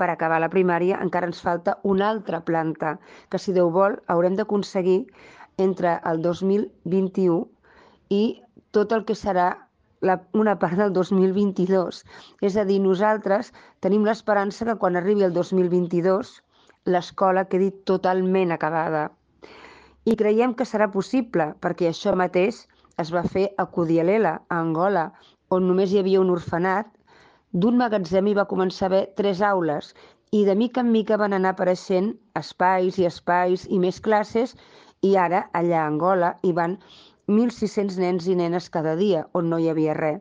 per acabar la primària encara ens falta una altra planta, que si Déu vol haurem d'aconseguir entre el 2021 i tot el que serà una part del 2022. És a dir, nosaltres tenim l'esperança que quan arribi el 2022 l'escola quedi totalment acabada. I creiem que serà possible, perquè això mateix es va fer a Kudialela, a Angola, on només hi havia un orfenat. D'un magatzem hi va començar a haver 3 aules i de mica en mica van anar apareixent espais i més classes, i ara allà a Angola hi van 1.600 nens i nenes cada dia on no hi havia res.